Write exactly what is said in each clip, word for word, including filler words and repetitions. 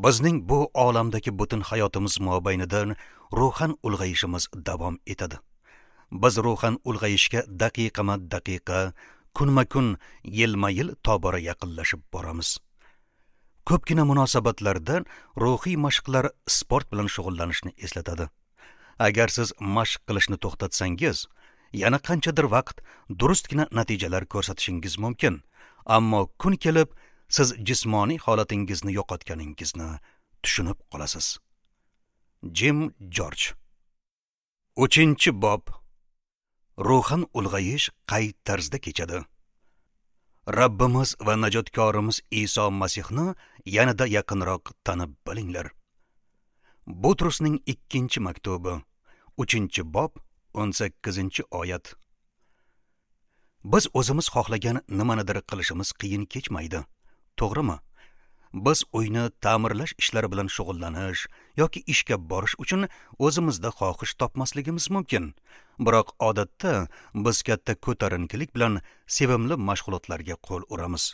Bizning bu olamdagi butun hayotimiz mobaynida ruhan ulg'ayishimiz davom etadi. Biz ruhan ulg'ayishga daqiqama-daqiqa, kunma-kun, yilma-yil tobora yaqinlashib boramiz. Ko'pgina munosabatlarda ruhiy mashqlar sport bilan shug'ullanishni eslatadi. Agar siz mashq qilishni to'xtatsangiz, yana qanchadir vaqt durustgina natijalar ko'rsatishingiz mumkin. Ammo kun kelib siz jismoniy holatingizni yo'qotganingizni tushunib qolasiz. Jim Jorj. Uchinchi bob. Ruhan ulg'ayish qay tarzda kechadi? Rabbimiz va najotkorimiz Iso Masihni yanada yaqinroq tanib bilinglar. Butrusning ikkinchi maktubi, uchinchi bob, o'n sakkizinchi oyat. Biz o'zimiz xohlagan nimanidir qilishimiz qiyin kechmaydi. To'g'rimi? Biz uyni ta'mirlash ishlari bilan shug'ullanish yoki ishga borish uchun o'zimizda xohish topmasligimiz mumkin. Biroq odatda biz katta ko'tarinkilik bilan sevimli mashg'ulotlarga qo'l uramiz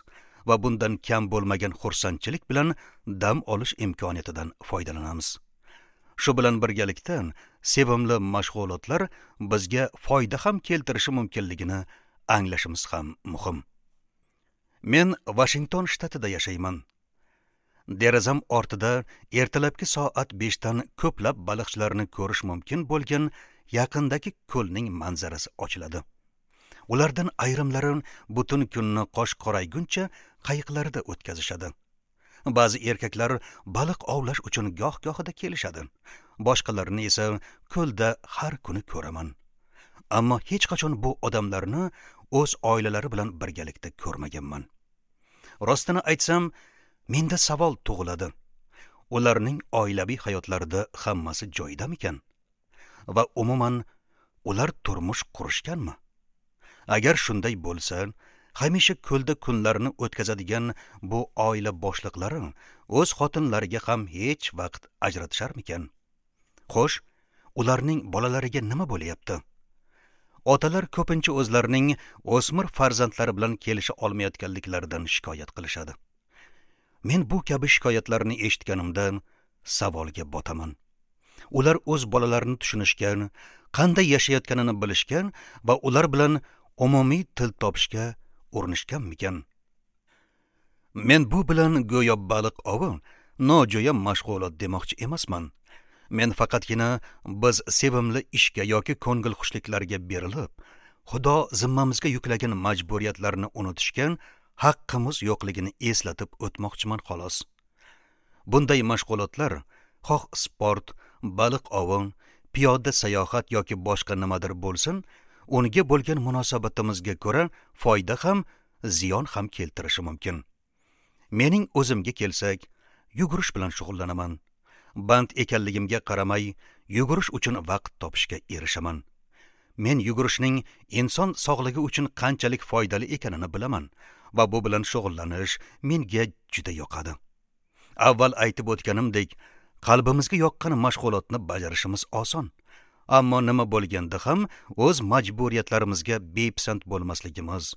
va bundan kam bo'lmagan xursandchilik bilan dam olish imkoniyatidan foydalanamiz. Shu bilan birgalikda sevimli mashg'ulotlar bizga foyda ham keltirishi mumkinligini anglashimiz ham muhim. Men Washington shtatida yashayman. Derazam ortida ertalabki soat beshdan ko'plab baliqchilarni ko'rish mumkin bo'lgan yaqindagi ko'lning manzarasi ochiladi. Ulardan ayrimlari butun kunni qosh qorayguncha qayiqlarida o'tkazishadi. Ba'zi erkaklar baliq ovlash uchun goh-gohida kelishadi. Boshqalarini esa ko'lda har kuni ko'raman. Ammo hech qachon bu odamlarni o'z oilalari bilan birgalikda ko'rmaganman. Rostini aytsam, menda savol tug'iladi. Ularning oilaviy hayotlarida hammasi joyidamikan? Va umuman ular turmush qurishganmi? Agar shunday bo'lsa, hamisha ko'lda kunlarini o'tkazadigan bu oila boshliqlari o'z xotinlariga ham hech vaqt ajratisharmikan? Xo'sh, ularning bolalariga nima bo'lyapti? Otalar ko'pincha o'zlarining o'smir farzandlari bilan kelisha olmayotganliklaridan shikoyat qilishadi. Men bu kabi shikoyatlarni eshitganimda savolga botaman. Ular o'z bolalarini tushunishgan, qanday yashayotganini bilishgan va ular bilan umumiy til topishga urinishganmikan? Men bu bilan go'yo baliq ovi nojo'ya mashg'ulot demoqchi emasman. Men faqatgina biz sevimli ishga yoki ko'ngilxushliklarga berilib, Xudo zimmamizga yuklagan majburiyatlarni unutishgan haqqimiz yo'qligini eslatib o'tmoqchiman xolos. Bunday mashg'ulotlar xoh sport, baliq ovi, piyoda sayohat yoki boshqa nimadir bo'lsin, unga bo'lgan munosabatimizga ko'ra foyda ham, ziyon ham keltirishi mumkin. Mening o'zimga kelsak, yugurish bilan shug'ullanaman. Band ekanligimga qaramay, yugurish uchun vaqt topishga erishaman. Men yugurishning inson sog'ligi uchun qanchalik foydali ekanini bilaman va bu bilan shug'ullanish menga juda yoqadi. Avval aytib o'tganimdek, qalbimizga yoqqan mashg'ulotni bajarishimiz oson. Ammo nima bo'lganda ham o'z majburiyatlarimizga bepisand bo'lmasligimiz,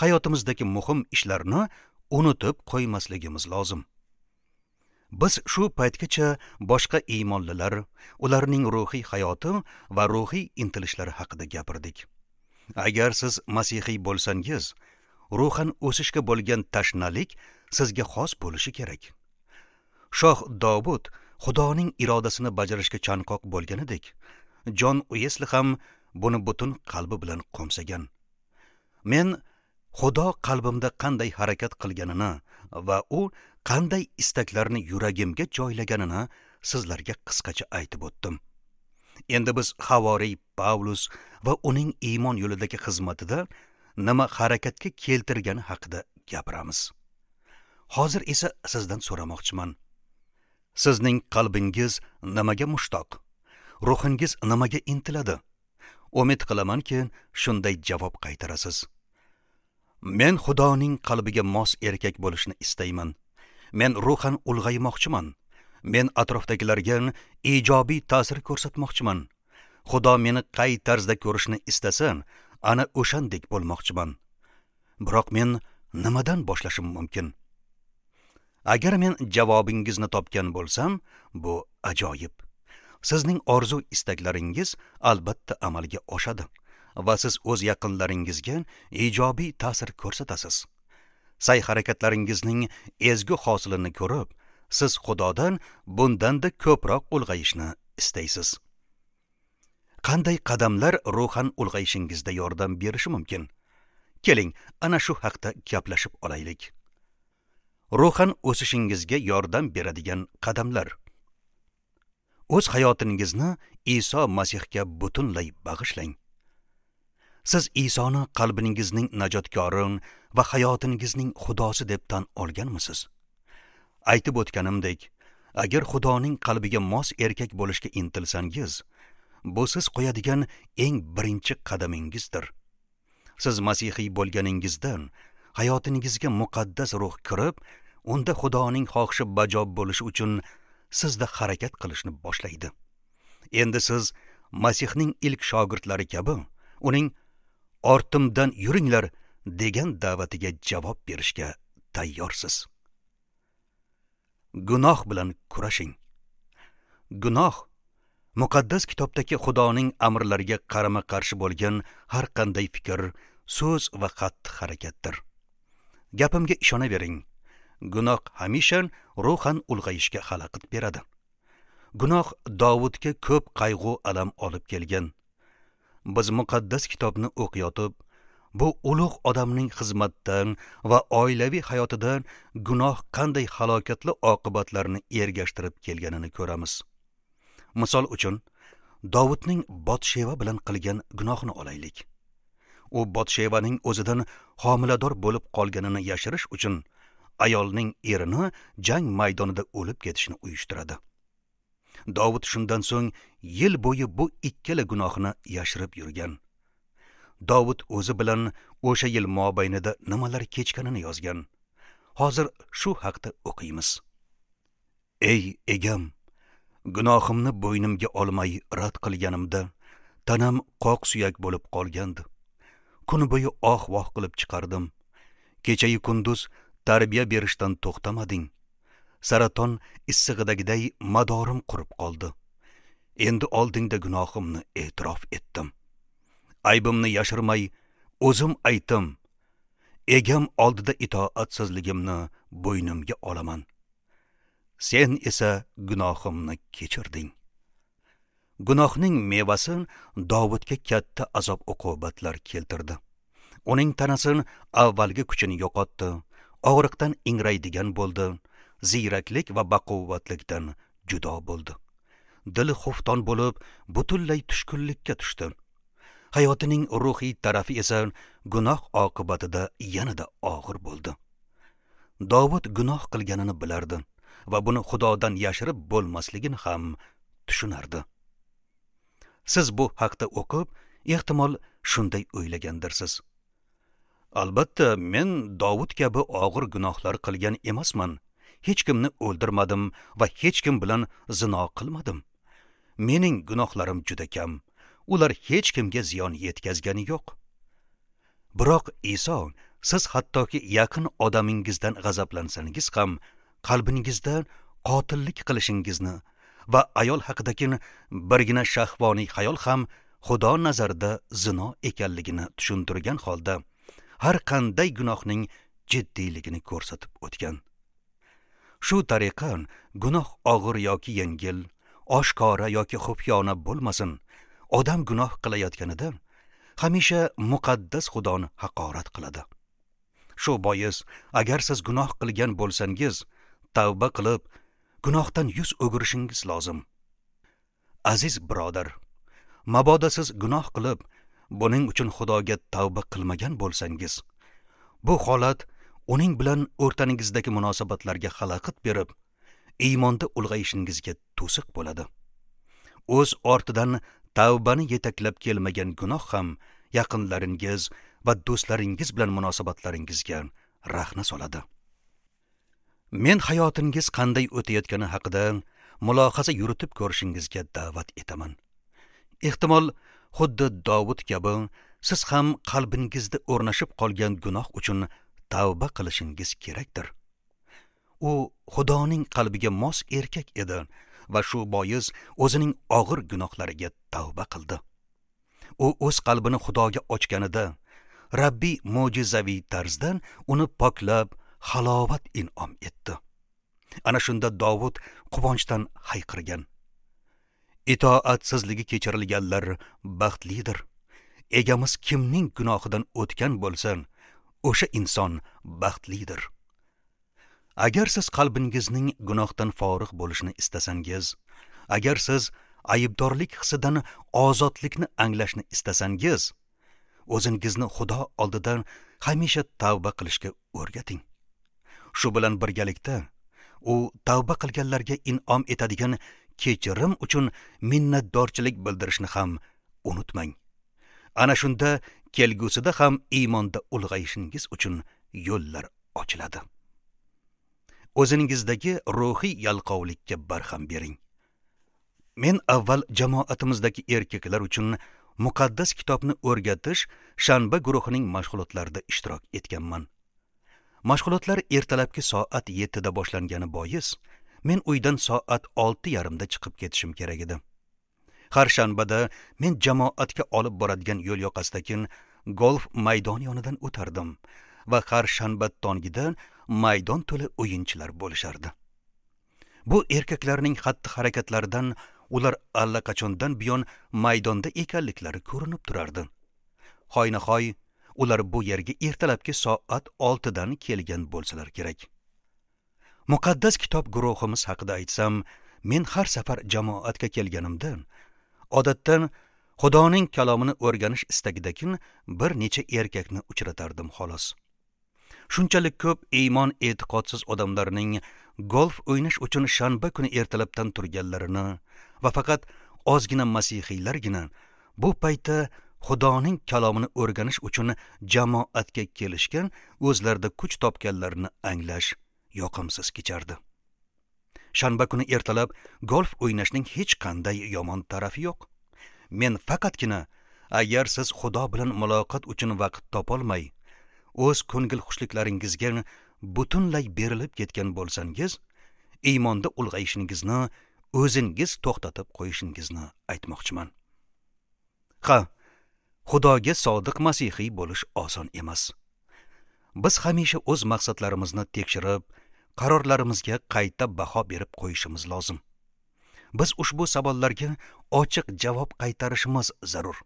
hayotimizdagi muhim ishlarni unutib qo'ymasligimiz lozim. Biz shu paytgacha boshqa iymonlilar, ularning ruhiy hayoti va ruhiy intilishlari haqida gapirdik. Agar siz masihiy bo'lsangiz, ruhan o'sishga bo'lgan tashnalik sizga xos bo'lishi kerak. Shoh Dovud Xudoning irodasini bajarishga chanqoq bo'lganidek, Jon Uesli ham buni butun qalbi bilan qo'msagan. Men Xudo qalbimda qanday harakat qilganini va u qanday istaklarni yuragimga joylaganini sizlarga qisqacha aytib o'tdim. Endi biz havoriy Pavlus va uning iymon yo'lidagi xizmatida nima harakatga keltirgani haqida gapiramiz. Hozir esa sizdan so'ramoqchiman. Sizning qalbingiz nimaga mushtoq? Ruhingiz nimaga intiladi? Umid qilamanki, shunday javob qaytarasiz. Men Xudoning qalbiga mos erkak bo'lishni istayman. Men ruhan ulg'aymoqchiman. Men atrofdagilarga ijobiy ta'sir ko'rsatmoqchiman. Xudo meni qay tarzda ko'rishni istasa, ana o'shandek bo'lmoqchiman. Biroq men nimadan boshlashim mumkin? Agar men javobingizni topgan bo'lsam, bu ajoyib. Sizning orzu istaklaringiz albatta amalga oshadi va siz o'z yaqinlaringizga ijobiy ta'sir ko'rsatasiz. Sa'y-harakatlaringizning ezgu hosilini ko'rib, siz Xudodan bundan-da ko'proq ulg'ayishni istaysiz. Qanday qadamlar ruhan ulg'ayishingizda yordam berishi mumkin? Keling, ana shu haqda gaplashib olaylik. Ruhan o'sishingizga yordam beradigan qadamlar. O'z hayotingizni Iso Masihga butunlay bag'ishlang. Siz Isoni qalbingizning najotkori va hayotingizning Xudosi deb tan olganmisiz? Aytib o'tganimdek, agar Xudoning qalbiga mos erkak bo'lishga intilsangiz, bu siz qo'yadigan eng birinchi qadamingizdir. Siz masihiy bo'lganingizdan hayotingizga muqaddas ruh kirib, unda Xudoning xohishi bajo bo'lishi uchun sizda harakat qilishni boshlaydi. Endi siz Masihning ilk shogirdlari kabi uning ortimdan yuringlar degan da'vatiga javob berishga tayyorsiz. Gunoh bilan kurashing. Gunoh muqaddas kitobdagi Xudoning amrlariga qarama-qarshi bo'lgan har qanday fikr, so'z va xatti-harakatdir. Gapimga ishonavering. Gunoh hamisha ruhan ulg'ayishga xalaqit beradi. Gunoh Davudga ko'p qayg'u alam olib kelgan. Biz muqaddas kitobni o'qiyotib, bu ulug' odamning xizmatdan va oilaviy hayotidan gunoh qanday halokatli oqibatlarni ergashtirib kelganini ko'ramiz. Misol uchun, Davudning Botsheva bilan qilgan gunohini olaylik. U Botshevaning o'zidan homilador bo'lib qolganini yashirish uchun ayolning erini jang maydonida o'lib ketishini uyushtiradi. Davud shundan so'ng yil bo'yi bu ikkala gunohini yashirib yurgan. Davud o'zi bilan o'sha yil mobaynida nimalar kechganini yozgan. Hozir shu haqda o'qiymiz. Ey egam, gunohimni bo'ynimga olmay rad qilganimda tanam qoq suyak bo'lib qolgandi. Kun bo'yi oh-voh qilib chiqardim. Kechayu kunduz tarbiya berishdan to'xtamading. Saraton issig'idagiday madorim qurib qoldi. Endi oldingda gunohimni e'tirof etdim. Aybimni yashirmay o'zim aytdim. Egam oldida itoatsizligimni bo'ynimga olaman. Sen esa gunohimni kechirding. Gunohning mevasi Davudga katta azob uqubatlar keltirdi. Uning tanasi avvalgi kuchini yo'qotdi, og'riqdan ingraydigan bo'ldi, ziyraklik va baquvvatlikdan judo bo'ldi. Dili xufton bo'lib, butunlay tushkunlikka tushdi. Hayotining ruhiy tarafi esa gunoh oqibatida yanada og'ir bo'ldi. Davud gunoh qilganini bilardi va buni Xudodan yashirib bo'lmasligini ham tushunardi. Siz bu haqda o'qib, ehtimol shunday o'ylagandirsiz. Albatta, men Davud kabi og'ir gunohlar qilgan emasman. Hech kimni o'ldirmadim va hech kim bilan zino qilmadim. Mening gunohlarim juda kam. Ular hech kimga ziyon yetkazgani yo'q. Biroq Iso, siz hattoki yaqin odamingizdan g'azablansangiz ham qalbingizda qotillik qilishingizni va ayol haqidagi birgina shahvoniy xayol ham Xudo nazarida zino ekanligini tushuntirgan holda har qanday gunohning jiddiyligini ko'rsatib o'tgan. Shu tariqa gunoh og'ir yoki yengil, oshkora yoki xufyona bo'lmasin, odam gunoh qilayotganida hamisha muqaddas Xudoni haqorat qiladi. Shu bois, agar siz gunoh qilgan bo'lsangiz, tavba qilib, gunohdan yuz o'girishingiz lozim. Aziz birodar, mabodo siz gunoh qilib, buning uchun Xudoga tavba qilmagan bo'lsangiz, bu holat uning bilan o'rtangizdagi munosabatlarga xalaqit berib, iymonda ulg'ayishingizga to'siq bo'ladi. O'z ortidan tavbani yetaklab kelmagan gunoh ham yaqinlaringiz va do'stlaringiz bilan munosabatlaringizga rahna soladi. Men hayotingiz qanday o'tayotgani haqida mulohaza yuritib ko'rishingizga da'vat etaman. Ehtimol, xuddi Davud kabi siz ham qalbingizda o'rnashib qolgan gunoh uchun tavba qilishingiz kerakdir. U Xudoning qalbiga mos erkak edi va shu bois o'zining og'ir gunohlariga tavba qildi. U o'z qalbini Xudoga ochganida Rabbiy mo'jizaviy tarzdan uni poklab, halovat in'om etdi. Ana shunda Dovud quvonchdan hayqirgan: Itoatsizligi kechirilganlar baxtlidir. Egamiz kimning gunohidan o'tgan bo'lsa, o'sha inson baxtlidir. Agar siz qalbingizning gunohdan forig' bo'lishini istasangiz, agar siz aybdorlik hissidan ozodlikni anglashni istasangiz, o'zingizni Xudo oldida hamisha tavba qilishga o'rgating. Shu bilan birgalikda u tavba qilganlarga in'om etadigan kechirim uchun minnatdorchilik bildirishni ham unutmang. Ana shunda kelgusida ham iymonda ulg'ayishingiz uchun yo'llar ochiladi. O'zingizdagi ruhiy yalqovlikka barham bering. Men avval jamoatimizdagi erkaklar uchun muqaddas kitobni o'rgatish shanba guruhining mashg'ulotlarida ishtirok etganman. Mashg'ulotlar ertalabki soat yettida boshlangani bois, men uydan soat olti yarimda chiqib ketishim kerak edi. Har shanbada men jamoatga olib boradigan yo'l yoqasidagi golf maydoni yonidan o'tardim va har shanba tongida maydon to'la o'yinchilar bo'lishardi. Bu erkaklarning xatti-harakatlaridan ular allaqachondan buyon maydonda ekanliklari ko'rinib turardi. Hoynahoy ular bu yerga ertalabki soat oltidan kelgan bo'lsalar kerak. Muqaddas kitob guruhimiz haqida aytsam, men har safar jamoatga kelganimda odatdan Xudoning kalomini o'rganish istagidagi bir necha erkakni uchratardim xolos. Shunchalik ko'p iymon e'tiqodsiz odamlarning golf o'ynash uchun shanba kuni ertalabdan turganlarini va faqat ozgina masihiylargina bu paytda Xudoning kalomini o'rganish uchun jamoatga kelishgan, o'zlarida kuch topganlarini anglash yoqimsiz kechardi. Shanba kuni ertalab golf o'ynashning hech qanday yomon tarafi yo'q. Men faqatgina agar siz Xudo bilan muloqot uchun vaqt topolmay, o'z ko'ngil xushliklaringizga butunlay berilib ketgan bo'lsangiz, iymonda ulg'ayishingizni o'zingiz to'xtatib qo'yishingizni aytmoqchiman. Ha, Xudoga sodiq masihiy bo'lish oson emas. Biz hamisha o'z maqsadlarimizni tekshirib, qarorlarimizga qayta baho berib qo'yishimiz lozim. Biz ushbu savollarga ochiq javob qaytarishimiz zarur.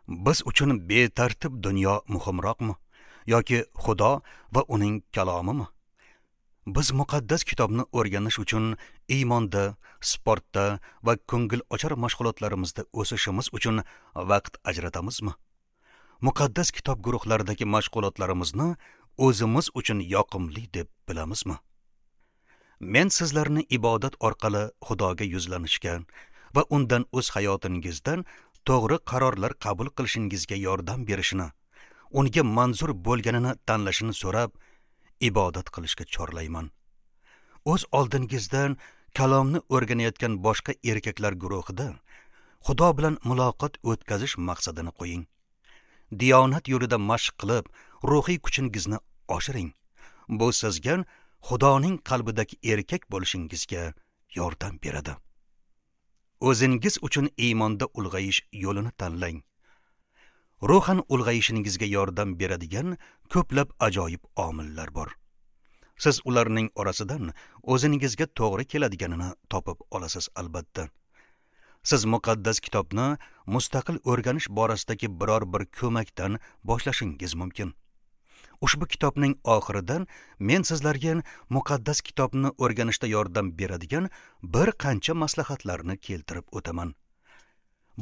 Biz uchun betartib dunyo muhimroqmi yoki Xudo va uning kalomimi? Biz muqaddas kitobni o'rganish uchun iymonda, sportda va ko'ngil ochar mashg'ulotlarimizda o'sishimiz uchun vaqt ajratamizmi? Muqaddas kitob guruhlaridagi mashg'ulotlarimizni o'zimiz uchun yoqimli deb bilamizmi? Men sizlarni ibodat orqali Xudoga yuzlanishga va undan o'z hayotingizdan to'g'ri qarorlar qabul qilishingizga yordam berishini, unga manzur bo'lganini tanlashini so'rab ibodat qilishga chorlayman. O'z oldingizdan kalomni o'rganayotgan boshqa erkaklar guruhida Xudo bilan muloqot o'tkazish maqsadini qo'ying. Diyonat yo'lida mashq qilib, ruhiy kuchingizni oshiring. Bu sizga Xudoning qalbidagi erkak bo'lishingizga yordam beradi. O'zingiz uchun iymonda ulg'ayish yo'lini tanlang. Ruhan ulg'ayishingizga yordam beradigan ko'plab ajoyib omillar bor. Siz ularning orasidan o'zingizga to'g'ri keladiganini topib olasiz albatta. Siz muqaddas kitobni mustaqil o'rganish borasidagi biror bir ko'makdan boshlashingiz mumkin. Ushbu kitobning oxiridan men sizlarga muqaddas kitobni o'rganishda yordam beradigan bir qancha maslahatlarni keltirib o'taman.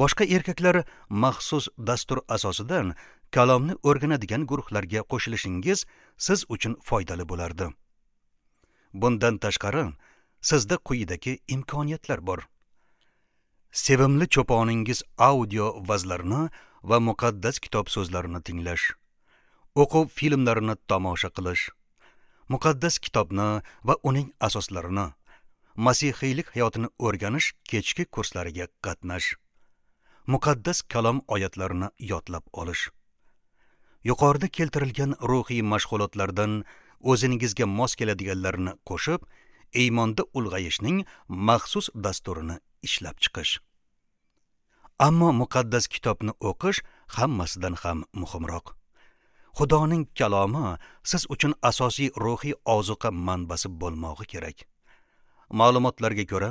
Boshqa erkaklar maxsus dastur asosidan kalomni o'rganadigan guruhlarga qo'shilishingiz siz uchun foydali bo'lardi. Bundan tashqari, sizda quyidagi imkoniyatlar bor. Sevimli cho'poningiz audio vazlarini va muqaddas kitob so'zlarini tinglash, o'quv filmlarini tomosha qilish, muqaddas kitobni va uning asoslarini, masihiylik hayotini o'rganish kechki kurslariga qatnash, muqaddas kalom oyatlarini yodlab olish. Yuqorida keltirilgan ruhiy mashg'ulotlardan o'zingizga mos keladiganlarini qo'shib, iymonda ulg'ayishning maxsus dasturini ishlab chiqish. Ammo muqaddas kitobni o'qish hammasidan ham muhimroq. Xudoning kalomi siz uchun asosiy ruhiy ozuqa manbasi bo'lmog'i kerak. Ma'lumotlarga ko'ra,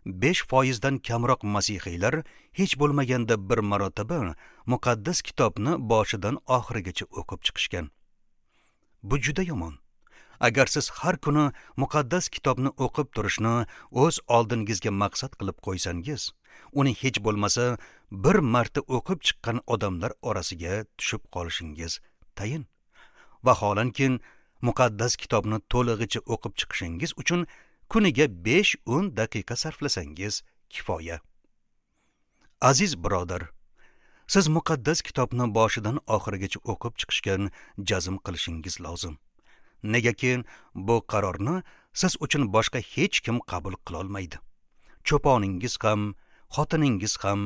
besh foizdan kamroq masihiylar hech bo'lmaganda bir marotaba muqaddas kitobni boshidan oxirigacha o'qib chiqishgan. Bu juda yomon. Agar siz har kuni muqaddas kitobni o'qib turishni o'z oldingizga maqsad qilib qo'ysangiz, uni hech bo'lmasa bir marta o'qib chiqqan odamlar orasiga tushib qolishingiz tayin. Vaholanki, muqaddas kitobni to'lig'icha o'qib chiqishingiz uchun kuniga besh o'n daqiqa sarflasangiz kifoya. Aziz birodar, siz muqaddas kitobni boshidan oxirigacha o'qib chiqishga jazm qilishingiz lozim. Negaki bu qarorni siz uchun boshqa hech kim qabul qila olmaydi. Cho'poningiz ham, xotiningiz ham,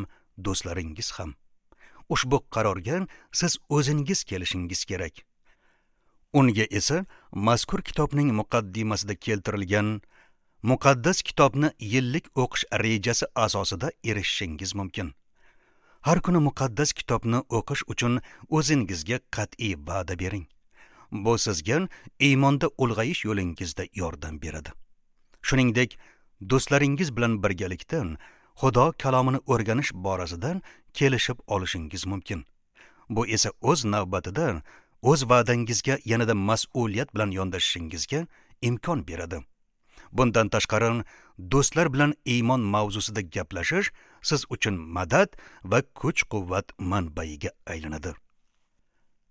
do'stlaringiz ham. Ushbu qarorga siz o'zingiz kelishingiz kerak. Unga esa mazkur kitobning muqaddimasida keltirilgan muqaddas kitobni yillik o'qish rejasi asosida erishishingiz mumkin. Har kuni muqaddas kitobni o'qish uchun o'zingizga qat'iy va'da bering. Bu sizga iymonda ulg'ayish yo'lingizda yordam beradi. Shuningdek, do'stlaringiz bilan birgalikda Xudo kalomini o'rganish borasida kelishib olishingiz mumkin. Bu esa o'z navbatida o'z va'dangizga yanada mas'uliyat bilan yondashishingizga imkon beradi. Bundan tashqari, do'stlar bilan iymon mavzusida gaplashish siz uchun madad va kuch-quvvat manbaiga aylanadi.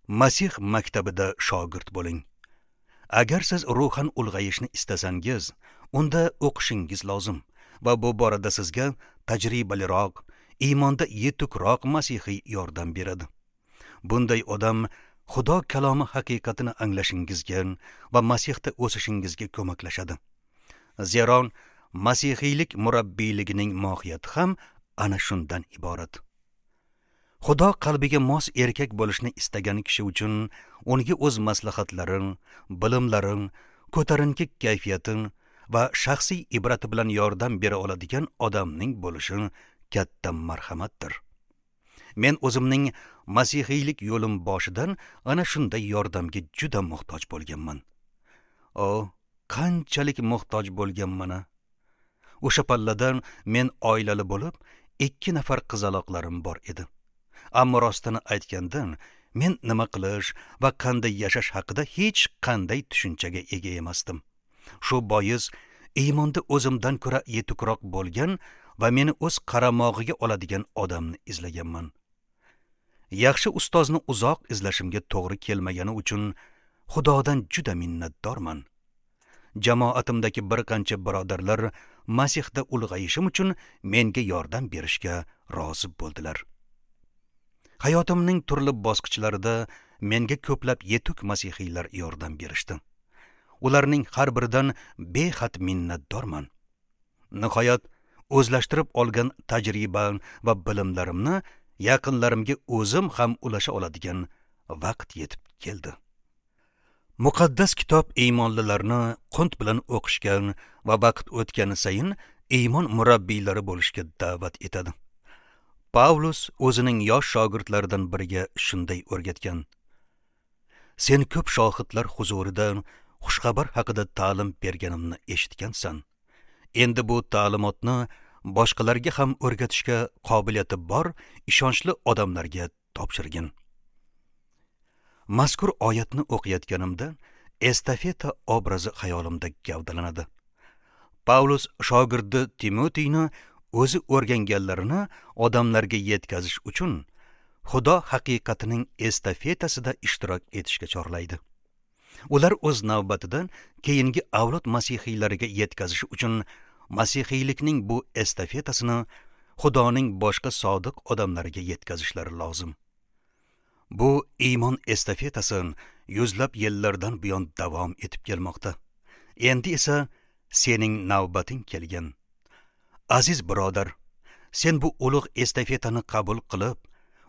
Masih maktabida shogird bo'ling. Agar siz ruhan ulg'ayishni istasangiz, unda o'qishingiz lozim va bu borada sizga tajribaliroq, iymonda yetukroq masihiy yordam beradi. Bunday odam Xudo kalomi haqiqatini anglashingizga va Masihda o'sishingizga ko'maklashadi. Zero masihiylik murabbiyligining mohiyati ham ana shundan iborat. Xudo qalbiga mos erkak bo'lishni istagan kishi uchun unga o'z maslahatlari, bilimlari, ko'tarinki kayfiyati va shaxsiy ibrati bilan yordam bera oladigan odamning bo'lishi katta marhamatdir. Men o'zimning masihiylik yo'lim boshidan ana shunday yordamga juda muhtoj bo'lganman. O, qanchalik muhtoj bo'lganman-a! O'sha palladan men oilali bo'lib, ikki nafar qizaloqlarim bor edi. Ammo rostini aytganda, men nima qilish va qanday yashash haqida hech qanday tushunchaga ega emasdim. Shu bois iymonda o'zimdan ko'ra yetukroq bo'lgan va meni o'z qaramog'iga oladigan odamni izlaganman. Yaxshi ustozni uzoq izlashimga to'g'ri kelmagani uchun Xudodan juda minnatdorman. Jamoatimdagi bir qancha birodarlar Masihda ulg'ayishim uchun menga yordam berishga rozi bo'ldilar. Hayotimning turli bosqichlarida menga ko'plab yetuk masihiylar yordam berishdi. Ularning har biridan behad minnatdorman. Nihoyat, o'zlashtirib olgan tajriba va bilimlarimni yaqinlarimga o'zim ham ulasha oladigan vaqt yetib keldi. Muqaddas kitob iymonlilarni qunt bilan o'qishga va vaqt o'tgani sayin iymon murabbiylari bo'lishga da'vat etadi. Pavlus o'zining yosh shogirdlaridan biriga shunday o'rgatgan: Sen ko'p shohidlar huzurida xushxabar haqida ta'lim berganimni eshitgansan. Endi bu ta'limotni boshqalarga ham o'rgatishga qobiliyati bor ishonchli odamlarga topshirgin. Mazkur oyatni o'qiyotganimda estafeta obrazi xayolimda gavdalanadi. Pavlus shogirdi Timotiyni o'zi o'rganganlarini odamlarga yetkazish uchun Xudo haqiqatining estafetasida ishtirok etishga chorlaydi. Ular o'z navbatida keyingi avlod masihiylariga yetkazish uchun masihiylikning bu estafetasini Xudoning boshqa sodiq odamlariga yetkazishlari lozim. Bu iymon estafetasi yuzlab yillardan buyon davom etib kelmoqda. Endi esa sening navbating kelgan. Aziz birodar, sen bu ulug' estafetani qabul qilib,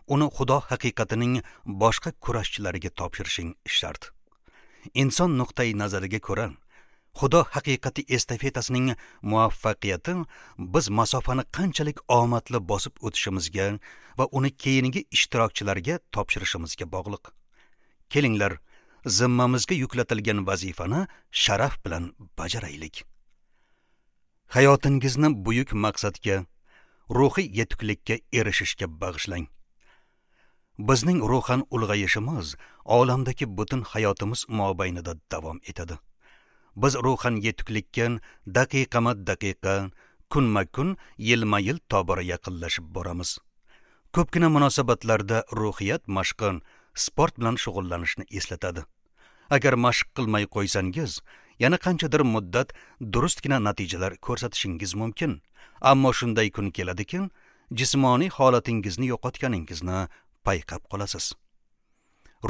uni Xudo haqiqatining boshqa kurashchilariga topshirishing shart. Inson nuqtai nazariga ko'ra, Xudo haqiqati estafetasining muvaffaqiyati biz masofani qanchalik omadli bosib o'tishimizga va uni keyingi ishtirokchilarga topshirishimizga bog'liq. Kelinglar, zimmamizga yuklatilgan vazifani sharaf bilan bajaraylik. Hayotingizni buyuk maqsadga, ruhiy yetuklikka erishishga bag'ishlang. Bizning ruhan ulg'ayishimiz olamdagi butun hayotimiz mobaynida davom etadi. Biz ruhan yetuklikka daqiqama-daqiqa, kunma-kun, yilma-yil tobora yaqinlashib boramiz. Ko'pgina munosabatlarda ruhiyat mashqi sport bilan shug'ullanishni eslatadi. Agar mashq qilmay qo'ysangiz, yana qanchadir muddat durustgina natijalar ko'rsatishingiz mumkin. Ammo shunday kun keladiki, jismoniy holatingizni yo'qotganingizni payqab qolasiz.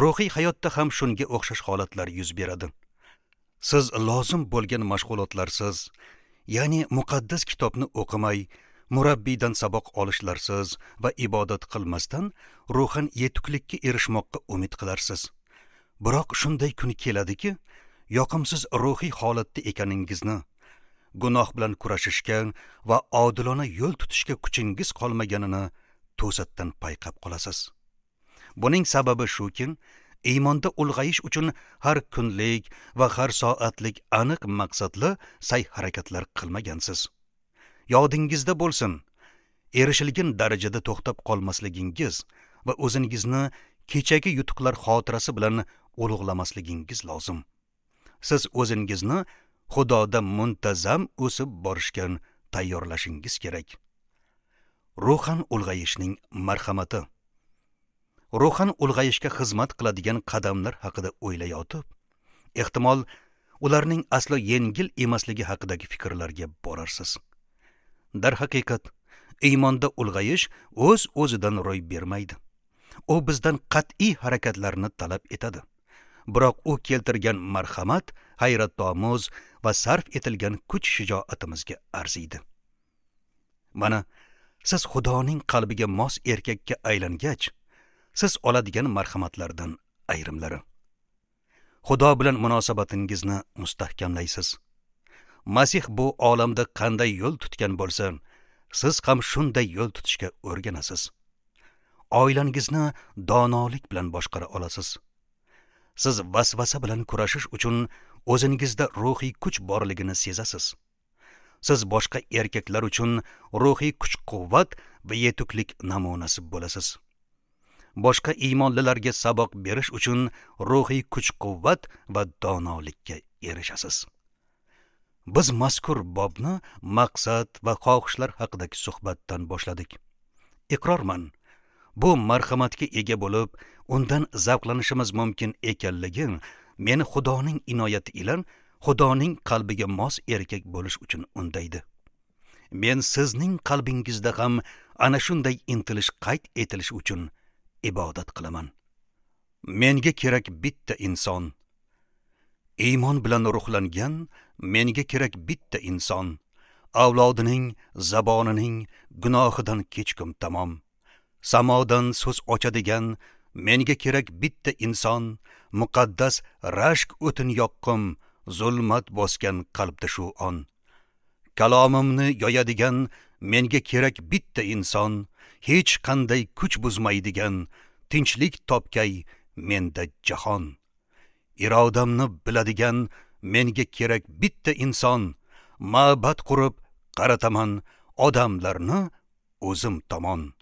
Ruhiy hayotda ham shunga o'xshash holatlar yuz beradi. Siz lozim bo'lgan mashg'ulotlarsiz, ya'ni muqaddas kitobni o'qimay, murabbiydan saboq olishlarsiz va ibodat qilmasdan ruhan yetuklikka erishmoqqa umid qilarsiz. Biroq shunday kun keladiki, yoqimsiz ruhiy holatda ekaningizni, gunoh bilan kurashishga va odilona yo'l tutishga kuchingiz qolmaganini to'satdan payqab qolasiz. Buning sababi shuki, iymonda ulg'ayish uchun har kunlik va har soatlik aniq maqsadli sa'y-harakatlar qilmagansiz. Yodingizda bo'lsin, erishilgan darajada to'xtab qolmasligingiz va o'zingizni kechagi yutuqlar xotirasi bilan ulug'lamasligingiz lozim. Siz o'zingizni Xudoda muntazam o'sib borishga tayyorlashingiz kerak. Ruhan ulg'ayishning marhamati. Ruhan ulg'ayishga xizmat qiladigan qadamlar haqida o'ylayotib, ehtimol ularning aslo yengil emasligi haqidagi fikrlarga borarsiz. Darhaqiqat, iymonda ulg'ayish o'z-o'zidan ro'y bermaydi. U bizdan qat'iy harakatlarni talab etadi. Biroq u keltirgan marhamat hayratomuz va sarf etilgan kuch shijoatimizga arziydi. Mana siz Xudoning qalbiga mos erkakka aylangach, siz oladigan marhamatlardan ayrimlari. Xudo bilan munosabatingizni mustahkamlaysiz. Masih bu olamda qanday yo'l tutgan bo'lsa, siz ham shunday yo'l tutishga o'rganasiz. Oilangizni donolik bilan boshqara olasiz. Siz vasvasa bilan kurashish uchun o'zingizda ruhiy kuch borligini sezasiz. Siz boshqa erkaklar uchun ruhiy kuch-quvvat va yetuklik namunasi bo'lasiz. Boshqa iymonlilarga saboq berish uchun ruhiy kuch-quvvat va donolikka erishasiz. Biz mazkur bobni maqsad va xohishlar haqidagi suhbatdan boshladik. Iqrorman, bu marhamatga ega bo'lib, undan zavqlanishimiz mumkin ekanligi meni Xudoning inoyati ila Xudoning qalbiga mos erkak bo'lish uchun undaydi. Men sizning qalbingizda ham ana shunday intilish qayd etilishi uchun ibodat qilaman. Menga kerak bitta inson. Iymon bilan ruhlangan menga kerak bitta inson. Avlodining, zabonining gunohidan kechkum tamom. Samodan so'z ochadigan menga kerak bitta inson. Muqaddas rashk o'tin yoqqim, zulmat bosgan qalbda shu on. Kalomimni yoyadigan menga kerak bitta inson. Hech qanday kuch buzmaydigan tinchlik topkay menda jahon. Irodamni biladigan menga kerak bitta inson. Ma'bad qurib qarataman odamlarni o'zim tomon.